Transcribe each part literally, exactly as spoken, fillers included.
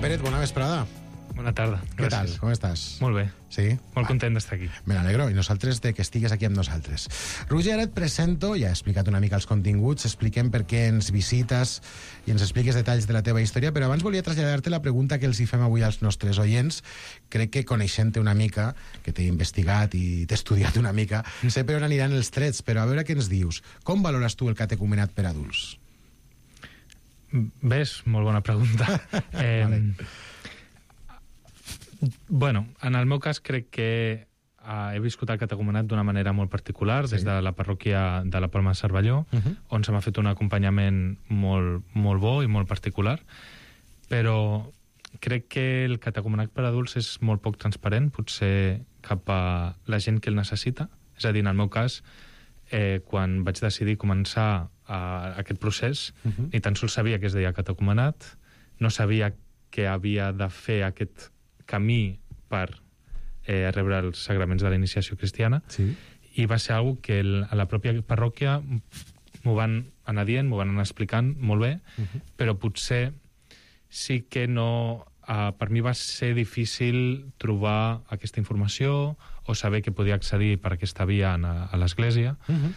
Pérez, bona vesprada. Bona tarda. Què Gràcies. tal? Com estàs? Molt bé. Sí? Molt content d'estar aquí. Me n'alegro, i nosaltres de que estigues aquí amb nosaltres. Roger, ara et presento, ja he explicat una mica els continguts, expliquem per què ens visites i ens expliques detalls de la teva història, però abans volia traslladar-te la pregunta que els hi fem avui als nostres oients. Crec que coneixent-te una mica, que t'he investigat i t'he estudiat una mica, sé per on aniran els trets, però a veure què ens dius. Com valores tu el catecumenat per adults? Ves, molt bona pregunta. eh, Vale. Bueno, en el meu cas crec que uh, he viscut el catecumenat d'una manera molt particular, Sí. des de la parròquia de la Palma de Cervelló, Uh -huh. on se m'ha fet un acompanyament molt, molt bo i molt particular, però crec que el catecumenat per adults és molt poc transparent, potser cap a la gent que el necessita. És a dir, en el meu cas, eh, quan vaig decidir començar uh, aquest procés, Uh -huh. ni tan sols sabia que es deia catecumenat, no sabia que havia de fer aquest camí per eh, rebre els sagraments de la iniciació cristiana, Sí. i va ser algo que el, a la pròpia parròquia m'ho van anar dient, m'ho van anar explicant molt bé, Uh -huh. però potser sí que no... Uh, per mi va ser difícil trobar aquesta informació o saber que podia accedir per aquesta via a, a l'Església, Uh -huh.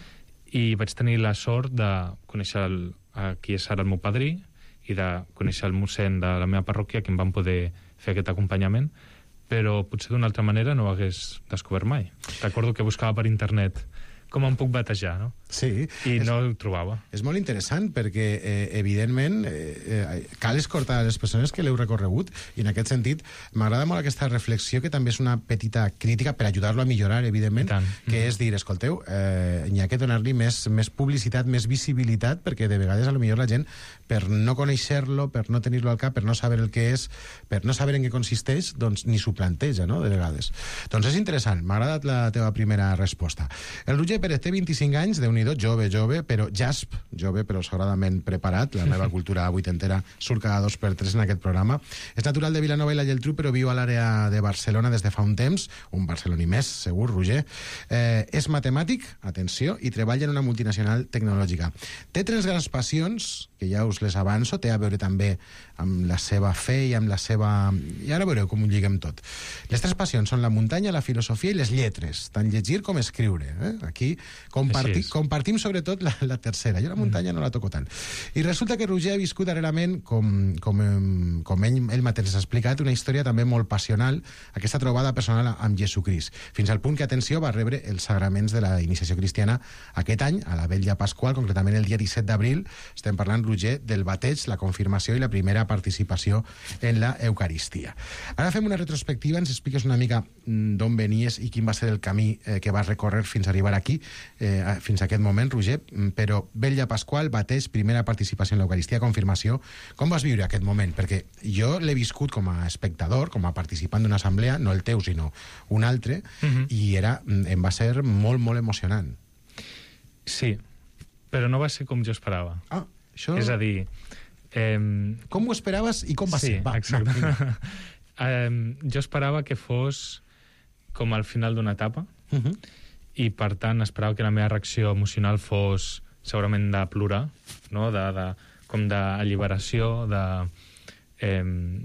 i vaig tenir la sort de conèixer el, a qui és ara el meu padrí i de conèixer el mossèn de la meva parròquia, que em van poder fer aquest acompanyament, però potser d'una altra manera no ho hagués descobert mai. Recordo que buscava per internet com em puc batejar, no? Sí. I És- no ho trobava. És molt interessant perquè, eh, evidentment, eh, eh, cal escoltar les persones que l'heu recorregut, i en aquest sentit m'agrada molt aquesta reflexió, que també és una petita crítica per ajudar-lo a millorar, evidentment, I tant. que Mhm. és dir, escolteu, eh, n'hi ha que donar-li més, més publicitat, més visibilitat, perquè de vegades a lo millor la gent, per no conèixer-lo, per no tenir-lo al cap, per no saber el que és, per no saber en què consisteix, doncs ni s'ho planteja, no?, de vegades. Doncs és interessant, m'ha agradat la teva primera resposta. El Roger Pérez té vint-i-cinc anys, déu-n'hi-do, jove, jove, però jasp, jove, però sagradament preparat. La meva cultura vuitentera surt cada dos per tres en aquest programa. És natural de Vilanova i la Geltrú, però viu a l'àrea de Barcelona des de fa un temps, un barceloní més, segur, Roger. Eh, és matemàtic, atenció, i treballa en una multinacional tecnològica. Té tres grans passions, que ja us les avanço, té a veure també amb la seva fe i amb la seva... I ara veureu com ho lliguem tot. Les tres passions són la muntanya, la filosofia i les lletres, tant llegir com escriure. Eh? Aquí comparti, Així és. compartim sobretot la, la tercera. Jo la muntanya mm. no la toco tant. I resulta que Roger ha viscut darrerament, com, com, em- com ell, ell mateix s'ha explicat, una història també molt passional, aquesta trobada personal amb Jesucrist, fins al punt que, atenció, va rebre els sagraments de la iniciació cristiana aquest any, a la Vetlla Pasqual, concretament el dia disset d'abril. Estem parlant, Roger, del bateig, la confirmació i la primera participació en la Eucaristia. Ara fem una retrospectiva, ens expliques una mica mm, d'on venies i quin va ser el camí eh, que vas recórrer fins a arribar aquí, eh, a- fins a aquest moment, Roger, mm, però Vetlla Pasqual, bateig, primera participació en l'Eucaristia, confirmació. Com vas viure aquest moment? Perquè jo l'he viscut com a espectador, com a participant d'una assemblea, no el teu, sinó un altre, Mhm. i era, mm, em va ser molt, molt emocionant. Sí, però no va ser com jo esperava. Ah, això... És a dir... Eh, Com ho esperaves i com va sí, ser? Va, exacte. va, vinga. eh, jo esperava que fos com al final d'una etapa, Uh -huh. i per tant esperava que la meva reacció emocional fos segurament de plorar, no? de, de, com d'alliberació, de, eh,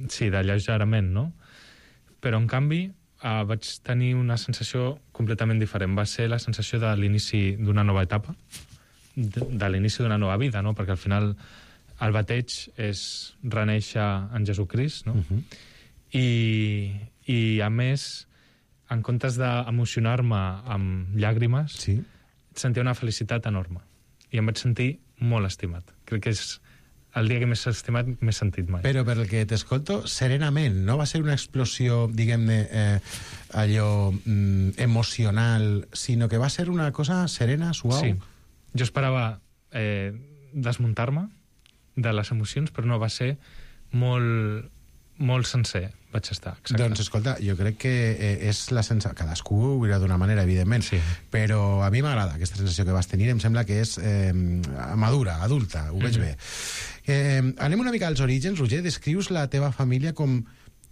sí, d'alleugerament, no? Però en canvi eh, vaig tenir una sensació completament diferent. Va ser la sensació de l'inici d'una nova etapa, de, de l'inici d'una nova vida, no? Perquè al final el bateig és renéixer en Jesucrist, no? Uh -huh. I, i a més, en comptes d'emocionar-me amb llàgrimes, Sí. sentia una felicitat enorme. I em vaig sentir molt estimat. Crec que és el dia que més estimat m'he sentit mai. Però per el que t'escolto, serenament, no va ser una explosió, diguem-ne, eh, allò mm, emocional, sinó que va ser una cosa serena, suau. Sí. Jo esperava eh, desmuntar-me de les emocions, però no, va ser molt, molt sencer, vaig estar. Exacte. Doncs, escolta, jo crec que eh, és la sensació... Cadascú ho veurà d'una manera, evidentment, Sí. però a mi m'agrada aquesta sensació que vas tenir, em sembla que és eh, madura, adulta, ho veig Mhm. bé. Eh, anem una mica als orígens, Roger, descrius la teva família com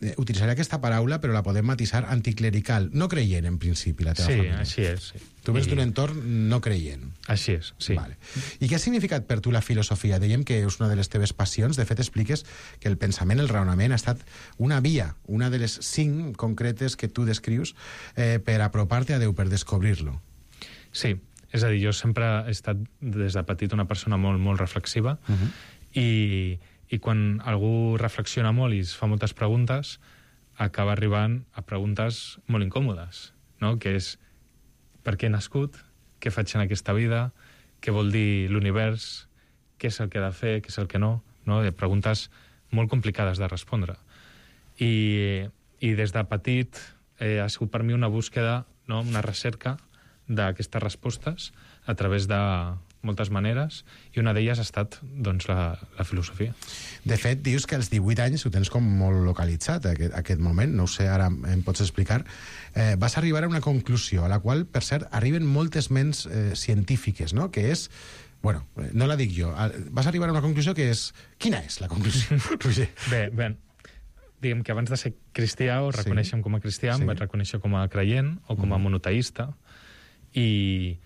eh, utilitzaré aquesta paraula, però la podem matisar anticlerical, no creient en principi la teva sí, família. Sí, així és. Sí. Tu vens I... d'un entorn no creient. Així és, sí. Vale. I què ha significat per tu la filosofia? Dèiem que és una de les teves passions. De fet, expliques que el pensament, el raonament, ha estat una via, una de les cinc concretes que tu descrius eh, per apropar-te a Déu, per descobrir-lo. Sí, és a dir, jo sempre he estat des de petit una persona molt, molt reflexiva Uh-huh. i, i quan algú reflexiona molt i es fa moltes preguntes, acaba arribant a preguntes molt incòmodes, no? Que és per què he nascut, què faig en aquesta vida, què vol dir l'univers, què és el que he de fer, què és el que no, no? Preguntes molt complicades de respondre. I, i des de petit eh, ha sigut per mi una búsqueda, no? Una recerca d'aquestes respostes a través de moltes maneres, i una d'elles ha estat doncs, la, la filosofia. De fet, dius que als divuit anys ho tens com molt localitzat, aquest, aquest moment, no ho sé, ara em pots explicar. Eh, vas arribar a una conclusió, a la qual, per cert, arriben moltes ments eh, científiques, no? Que és... Bueno, no la dic jo. Vas arribar a una conclusió que és... Quina és la conclusió, Roger? Bé, bé, diguem que abans de ser cristià, o reconeixem sí. com a cristià, sí. em vaig reconèixer com a creient o com a mm. monoteista, i...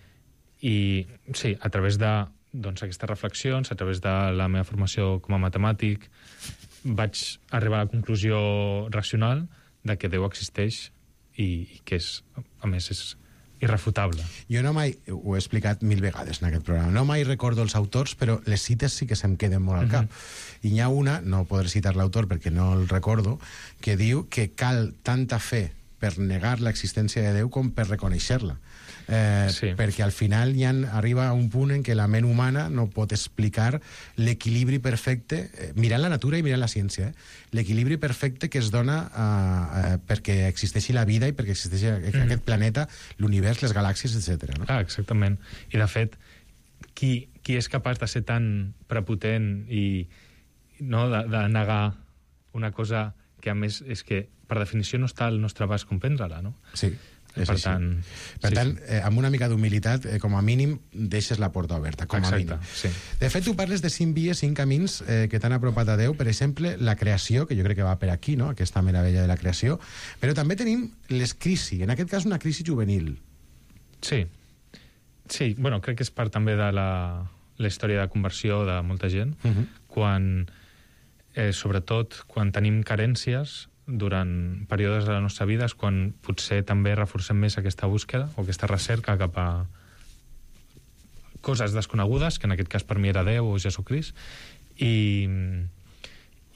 I sí, a través de doncs, aquestes reflexions, a través de la meva formació com a matemàtic, vaig arribar a la conclusió racional de que Déu existeix i, i que és, a més, és irrefutable. Jo no mai, ho he explicat mil vegades en aquest programa, no mai recordo els autors, però les cites sí que se'm queden molt al cap. Uh-huh. I n'hi ha una, no podré citar l'autor perquè no el recordo, que diu que cal tanta fe per negar l'existència de Déu com per reconèixer-la. Eh, sí. Perquè al final ja arriba a un punt en què la ment humana no pot explicar l'equilibri perfecte, eh, mirant la natura i mirant la ciència, eh, l'equilibri perfecte que es dona eh, eh, perquè existeixi la vida i perquè existeixi mm. aquest planeta, l'univers, les galàxies, etcètera. No? Ah, exactament. I de fet, qui, qui és capaç de ser tan prepotent i no, de, de negar una cosa que a més és que per definició no està al nostre abast comprendre-la, no? Sí. Per així. tant, per sí, tant sí. Eh, amb una mica d'humilitat, eh, com a mínim, deixes la porta oberta, com Exacte, a mínim. Sí. De fet, tu parles de cinc vies, cinc camins eh, que t'han apropat a Déu. Per exemple, la creació, que jo crec que va per aquí, no? Aquesta meravella de la creació. Però també tenim les crisis, en aquest cas una crisi juvenil. Sí. Sí, bueno, crec que és part també de la, la història de conversió de molta gent, uh-huh. quan, eh, sobretot, quan tenim carències durant períodes de la nostra vida, és quan potser també reforcem més aquesta búsqueda o aquesta recerca cap a coses desconegudes, que en aquest cas per mi era Déu o Jesucrist, i,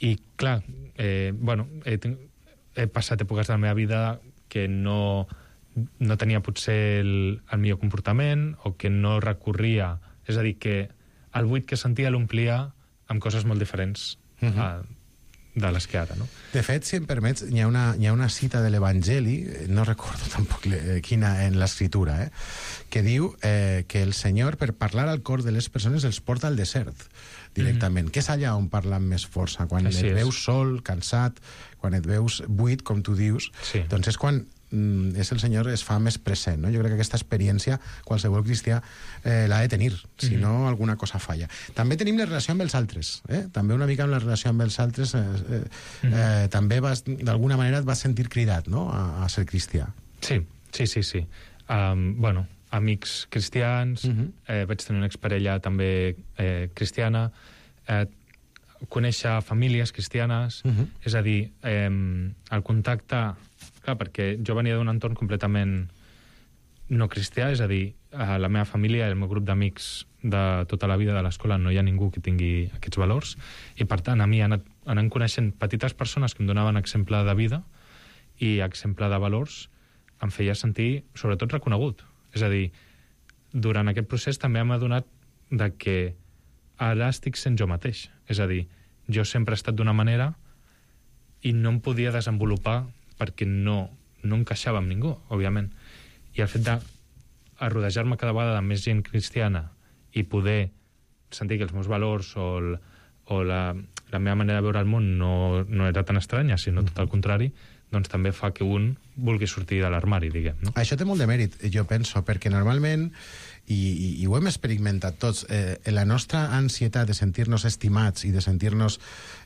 i clar, eh, bueno, he, he passat èpoques de la meva vida que no, no tenia potser el, el millor comportament o que no recorria, és a dir, que el buit que sentia l'omplia amb coses molt diferents uh-huh. a, de les que ara, no? De fet, si em permets, hi ha una, hi ha una cita de l'Evangeli, no recordo tampoc le, quina en l'escritura, eh, que diu eh, que el Senyor, per parlar al cor de les persones, els porta al desert directament, mm-hmm. que és allà on parla amb més força. Quan Així et és. veus sol, cansat, quan et veus buit, com tu dius, sí. doncs és quan mm, és el Senyor es fa més present, no? Jo crec que aquesta experiència qualsevol cristià eh, l'ha de tenir, si mm-hmm. no alguna cosa falla. També tenim la relació amb els altres, eh? També una mica amb la relació amb els altres, eh, eh, mm-hmm. eh, també vas, d'alguna manera et vas sentir cridat, no?, a, a ser cristià. Sí, sí, sí, sí. Um, bueno, amics cristians, uh-huh. eh, vaig tenir una exparella també eh, cristiana, eh, conèixer famílies cristianes, uh-huh. és a dir, eh, el contacte... Clar, perquè jo venia d'un entorn completament no cristià, és a dir, a la meva família i el meu grup d'amics de tota la vida de l'escola no hi ha ningú que tingui aquests valors, i per tant a mi anant, anant coneixent petites persones que em donaven exemple de vida i exemple de valors, em feia sentir sobretot reconegut. És a dir, durant aquest procés també m'ha adonat de que ara estic sent jo mateix. És a dir, jo sempre he estat d'una manera i no em podia desenvolupar perquè no, no encaixava amb ningú, òbviament. I el fet de rodejar-me cada vegada de més gent cristiana i poder sentir que els meus valors o, el, o la, la meva manera de veure el món no, no era tan estranya, sinó tot el contrari, doncs també fa que un vulgui sortir de l'armari, diguem, no? Això té molt de mèrit, jo penso, perquè normalment i, i, i ho hem experimentat tots. Eh, la nostra ansietat de sentir-nos estimats i de sentir-nos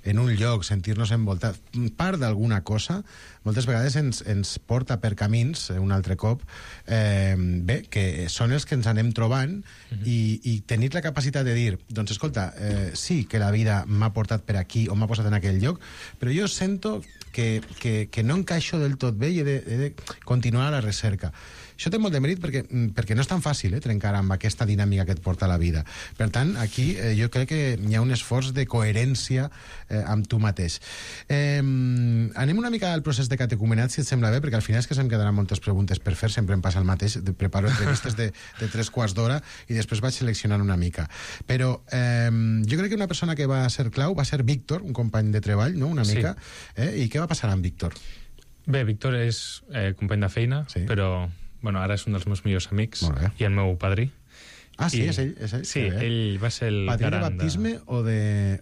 en un lloc, sentir-nos envoltats, part d'alguna cosa, moltes vegades ens, ens porta per camins, un altre cop, eh, bé, que són els que ens anem trobant, mm-hmm. i, i tenir la capacitat de dir, doncs escolta, eh, sí que la vida m'ha portat per aquí o m'ha posat en aquell lloc, però jo sento que, que, que no encaixo del tot bé i he de, he de continuar a la recerca. Això té molt de mèrit perquè, perquè no és tan fàcil eh, trencar amb aquesta dinàmica que et porta a la vida. Per tant, aquí eh, jo crec que hi ha un esforç de coherència eh, amb tu mateix. Eh, anem una mica al procés de catecumenat, si et sembla bé, perquè al final és que se'm quedaran moltes preguntes per fer, sempre em passa el mateix, preparo entrevistes de, de tres quarts d'hora i després vaig seleccionant una mica. Però eh, jo crec que una persona que va ser clau va ser Víctor, un company de treball, no? Una mica. Sí. Eh? I què va passar amb Víctor? Bé, Víctor és eh, company de feina, sí. però bueno, ara és un dels meus millors amics i el meu padrí. Ah, sí? I, és ell? És ell? Sí, sí, ell va ser el padrí de baptisme de... o, de,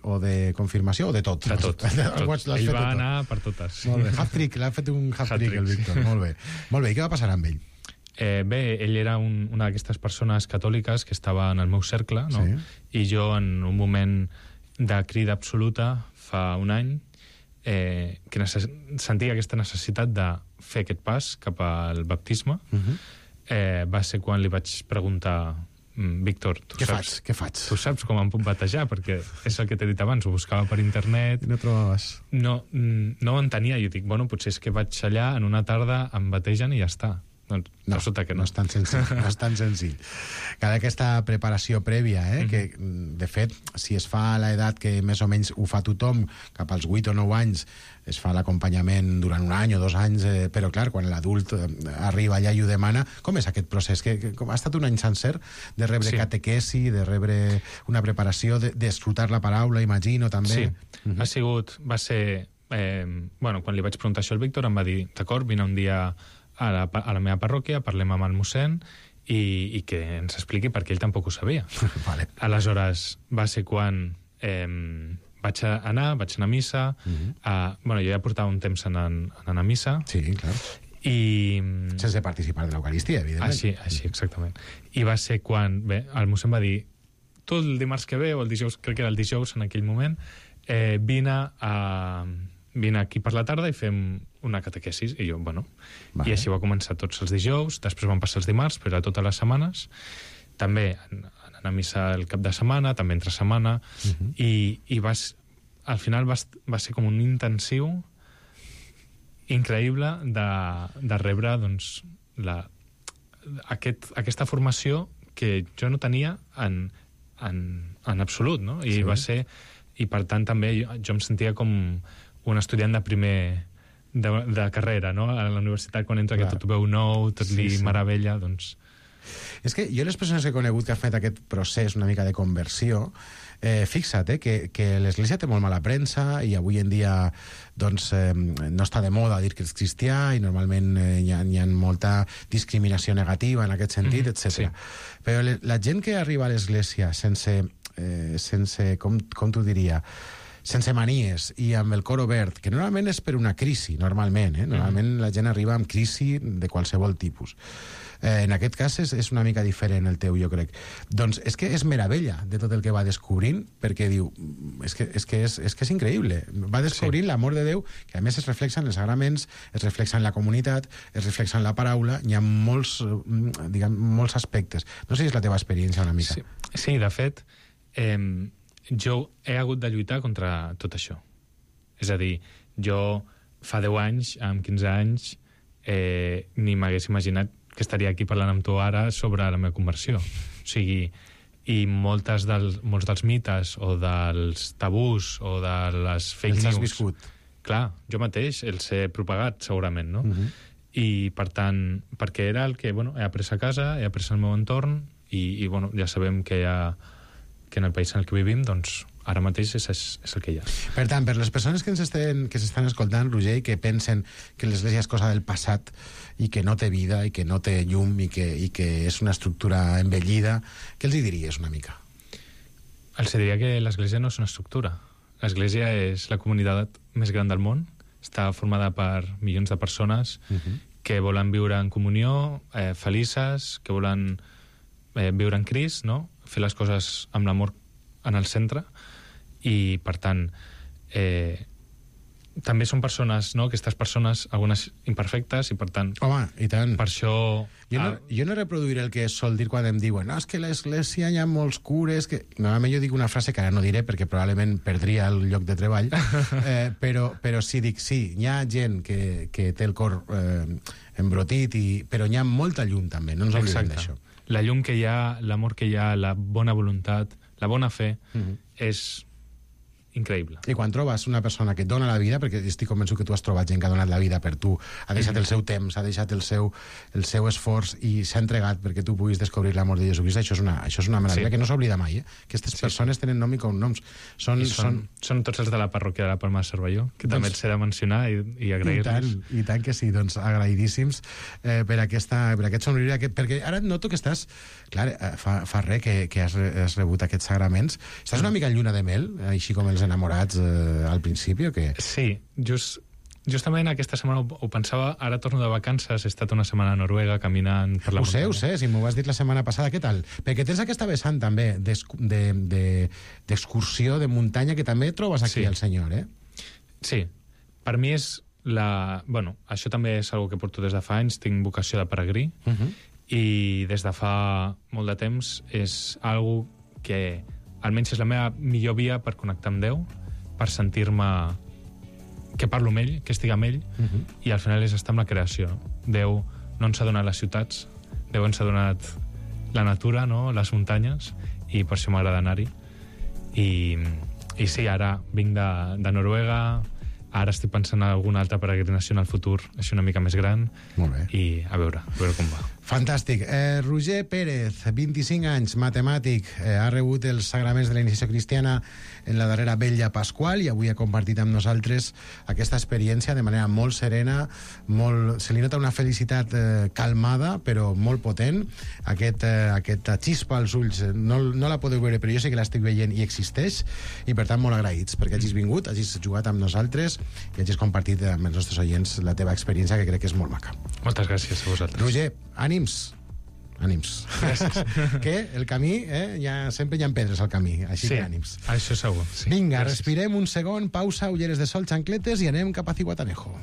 o de confirmació o de tot? De tot. tot. tot. Ell va anar per totes. Molt bé. Hat-trick, l'ha fet un hat-trick, el Víctor. Molt bé. Molt bé, i què va passar amb ell? Eh, bé, ell era un, una d'aquestes persones catòliques que estava en el meu cercle, no? Sí. I jo, en un moment de crida absoluta, fa un any, eh, que necess... sentia aquesta necessitat de fer aquest pas cap al baptisme. Uh-huh. eh, va ser quan li vaig preguntar, Víctor, tu què saps, faig? Què faig? Tu saps com em puc batejar? Perquè és el que t'he dit abans, ho buscava per internet. I no trobaves? No, no ho entenia. Jo dic, bueno, potser és que vaig allà, en una tarda em bategen i ja està. Doncs no, resulta que no. No és tan senzill, no és tan senzill. Cada aquesta preparació prèvia, eh, mm-hmm. que de fet, si es fa a l'edat que més o menys ho fa tothom, cap als vuit o nou anys, es fa l'acompanyament durant un any o dos anys, eh, però clar, quan l'adult eh, arriba allà i ho demana, com és aquest procés? Que, que com ha estat un any sencer de rebre sí. catequesi, de rebre una preparació, d'escrutar de, la paraula, imagino, també? Sí, mm-hmm. ha sigut, va ser... Eh, bueno, quan li vaig preguntar això al Víctor, em va dir, d'acord, vine un dia a la, a la meva parròquia, parlem amb el mossèn i, i que ens expliqui perquè ell tampoc ho sabia. Vale. Aleshores, va ser quan eh, vaig anar, vaig anar a missa, uh-huh. a, bueno, jo ja portava un temps anant, anant a missa. Sí, clar. I... Sense participar de l'Eucaristia, evidentment. Així, així, exactament. I va ser quan, bé, el mossèn va dir, tu el dimarts que ve, o el dijous, crec que era el dijous en aquell moment, eh, vine a... vine aquí per la tarda i fem una catequesis. I jo, bueno... Vale. I així va començar tots els dijous, després van passar els dimarts, però a totes les setmanes. També anant a missa el cap de setmana, també entre setmana, uh-huh. i, i vas, al final va, va ser com un intensiu increïble de, de rebre doncs, la, aquest, aquesta formació que jo no tenia en, en, en absolut, no? I sí. va ser... I per tant també jo, jo em sentia com un estudiant de primer de, de carrera, no? A la universitat, quan entra, clar, que tot ho veu nou, tot li sí, sí. meravella, doncs... És que jo les persones que he conegut que han fet aquest procés una mica de conversió, eh, fixa't, eh, que, que l'Església té molt mala premsa i avui en dia doncs, eh, no està de moda dir que és cristià i normalment eh, hi, ha, hi ha molta discriminació negativa en aquest sentit, mm-hmm, etcètera. Sí. Però le, la gent que arriba a l'Església sense, eh, sense com, com t'ho diria... sense manies i amb el cor obert, que normalment és per una crisi, normalment, eh? Normalment mm. la gent arriba amb crisi de qualsevol tipus. Eh, en aquest cas és, és una mica diferent el teu, jo crec. Doncs és que és meravella de tot el que va descobrint, perquè diu, és que és, que és, és, que és increïble. Va descobrint sí. l'amor de Déu, que a més es reflexa en els sagraments, es reflexa en la comunitat, es reflexa en la paraula, hi ha molts, diguem, molts aspectes. No sé si és la teva experiència una mica. Sí, sí de fet... Eh... jo he hagut de lluitar contra tot això. És a dir, jo fa deu anys, amb quinze anys, eh, ni m'hagués imaginat que estaria aquí parlant amb tu ara sobre la meva conversió. O sigui, i moltes del, molts dels mites o dels tabús o de les fake news... Els has viscut. Clar, jo mateix els he propagat, segurament, no? Uh-huh. I, per tant, perquè era el que, bueno, he après a casa, he après al meu entorn i, i bueno, ja sabem que hi ha que en el país en el que vivim, doncs, ara mateix és, és, és el que hi ha. Per tant, per les persones que ens estan, que s'estan escoltant, Roger, i que pensen que l'Església és cosa del passat i que no té vida i que no té llum i que, i que és una estructura envellida, què els hi diries una mica? Els diria que l'Església no és una estructura. L'Església és la comunitat més gran del món, està formada per milions de persones uh-huh. que volen viure en comunió, eh, felices, que volen eh, viure en Crist, no? Fer les coses amb l'amor en el centre, i, per tant, eh, també són persones, no?, aquestes persones, algunes imperfectes, i per tant... Home, i tant. Per això... Jo no, jo no reproduiré el que sol dir quan em diuen no, és que l'església hi ha molts cures... Que... Normalment jo dic una frase que ara no diré perquè probablement perdria el lloc de treball, eh, però, però sí, dic, sí, hi ha gent que, que té el cor eh, embrotit, i... però hi ha molta llum també, no ens oblidem d'això. La llum que hi ha, l'amor que hi ha, la bona voluntat, la bona fe, mm-hmm. és... increïble. I quan trobes una persona que et dona la vida, perquè estic convençut que tu has trobat gent que ha donat la vida per tu, ha deixat el seu temps, ha deixat el seu, el seu esforç i s'ha entregat perquè tu puguis descobrir l'amor de Jesucrist, això és una, això és una meravella sí. que no s'oblida mai, eh? Aquestes sí. persones tenen nom i cognoms. Són, I són, són... són tots els de la parròquia de la Palma de Cervelló, que doncs, també els he de mencionar i, i agrair-los. I tant, i tant que sí, doncs agraïdíssims eh, per, aquesta, per aquest somriure, aquest, perquè ara noto que estàs, clar, fa, fa res que, que has, has rebut aquests sagraments. Estàs una mica en lluna de mel, així com els enamorats eh, al principi, o què? Sí, just, justament aquesta setmana ho, ho pensava, ara torno de vacances, he estat una setmana a Noruega caminant per la ho muntanya. Ho sé, ho sé, si m'ho vas dir la setmana passada, què tal? Perquè tens aquesta vessant també d'excursió, de, de, de muntanya, que també trobes aquí sí. el senyor, eh? Sí, per mi és la... Bueno, això també és una que porto des de fa anys, tinc vocació de peregrí, uh -huh. i des de fa molt de temps és algo que almenys és la meva millor via per connectar amb Déu, per sentir-me que parlo amb ell, que estic amb ell, uh-huh. i al final és estar amb la creació. Déu no ens ha donat les ciutats, Déu ens ha donat la natura, no?, les muntanyes, i per això m'agrada anar-hi. I, I sí, ara vinc de, de Noruega, ara estic pensant en alguna altra peregrinació en el futur, així una mica més gran. Molt bé. I a veure, a veure com va. Fantàstic. Eh, Roger Pérez, vint-i-cinc anys, matemàtic, eh, ha rebut els sagraments de la iniciació cristiana en la darrera vetlla pasqual i avui ha compartit amb nosaltres aquesta experiència de manera molt serena, molt... se li nota una felicitat eh, calmada, però molt potent. Aquest, eh, aquesta xispa als ulls, eh, no, no la podeu veure, però jo sé que l'estic veient i existeix, i per tant molt agraïts perquè hagis vingut, hagis jugat amb nosaltres i hagis compartit amb els nostres oients la teva experiència, que crec que és molt maca. Moltes gràcies a vosaltres. Roger, ànims. Ànims. Gràcies. Que el camí, eh, ja, sempre hi ha pedres al camí, així sí, que ànims. Això segur. Sí. Vinga, Gràcies. respirem un segon, pausa, ulleres de sol, xancletes i anem cap a Zihuatanejo.